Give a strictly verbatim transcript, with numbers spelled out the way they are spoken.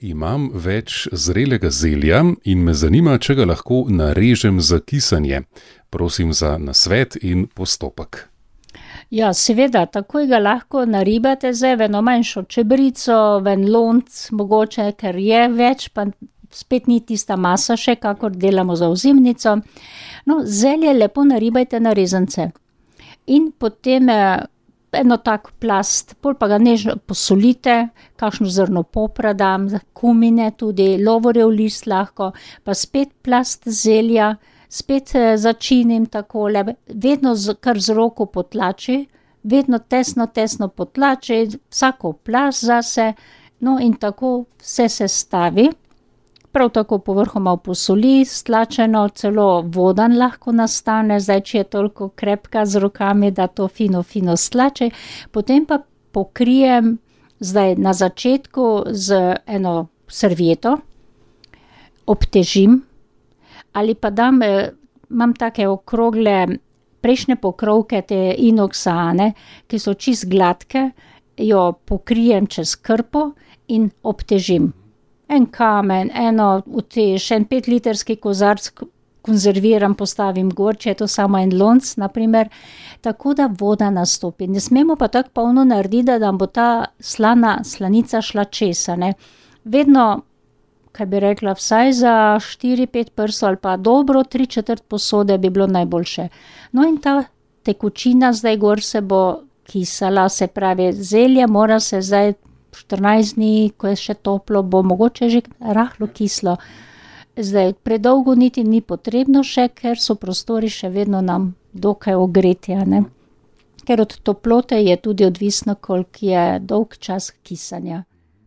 Imam več zrelega zelja in me zanima, če ga lahko narežem za kisanje. Prosim za nasvet in postopek. Ja, seveda, takoj ga lahko naribate zdaj v eno manjšo čebrico, v en lonc mogoče, ker je več, pa spet ni tista masa še, kakor delamo za ozimnico. No, zelje lepo naribajte na rezance. In potem eno tak plast, pol pa ga nežno posolite, kakšno zrno popra dam, kumine tudi, lovorjev list lahko, pa spet plast zelja, spet začinim takole, vedno z, kar z roko potlači, vedno tesno, tesno potlači, vsako plast zase, no in tako vse se stavi. Prav tako povrhu malo posoli, stlačeno, celo vodan lahko nastane, zdaj, če je toliko krepka z rokami, da to fino, fino stlači. Potem pa pokrijem zdaj na začetku z eno servieto, obtežim, ali pa dam, imam take okrogle prejšnje pokrovke, te inoksane, ki so čist gladke, jo pokrijem čez krpo in obtežim. En kamen, eno utež, en petlitrski kozarc konzerviram, postavim gor, če je to samo en lonc, na primer, tako da voda nastopi. Ne smemo pa tako polno narediti, da nam bo ta slana slanica šla čez, a ne. Vedno, kaj bi rekla, vsaj za štiri, pet prstov ali pa dobro tri četrt posode bi bilo najboljše. No in ta tekočina zdaj gor se bo kisala, se pravi, zelje mora se zdaj štirinajst dni, ko je še toplo, bo mogoče že rahlo kislo. Zdaj, predolgo niti ni potrebno še, ker so prostori še vedno nam dokaj ogreti, a ne. Ker od toplote je tudi odvisno, koliko je dolg čas kisanja.